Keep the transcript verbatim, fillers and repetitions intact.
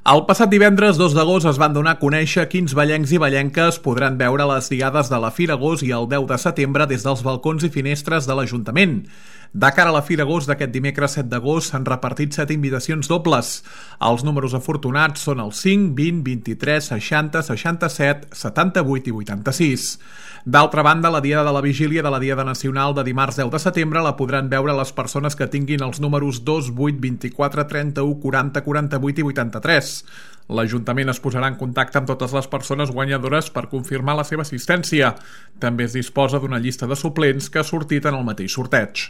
El passat divendres dos d'agost es van donar a conèixer quins vallencs i vallenques podran veure les diades de la Fira Gos i el deu de setembre des dels balcons i finestres de l'Ajuntament. De cara a la Fira Gos d'aquest dimecres set d'agost s'han repartit set invitacions dobles. Els números afortunats són el cinc, vint, vint-i-tres, seixanta, seixanta-set, setanta-vuit i vuitanta-sis. D'altra banda, la Diada de la Vigília de la Diada Nacional de dimarts deu de setembre la podran veure les persones que tinguin els números dos, vuit, vint-i-quatre, trenta-u, quaranta, quaranta-vuit i vuitanta-tres. L'Ajuntament es posarà en contacte amb totes les persones guanyadores per confirmar la seva assistència. També es disposa d'una llista de suplents que ha sortit en el mateix sorteig.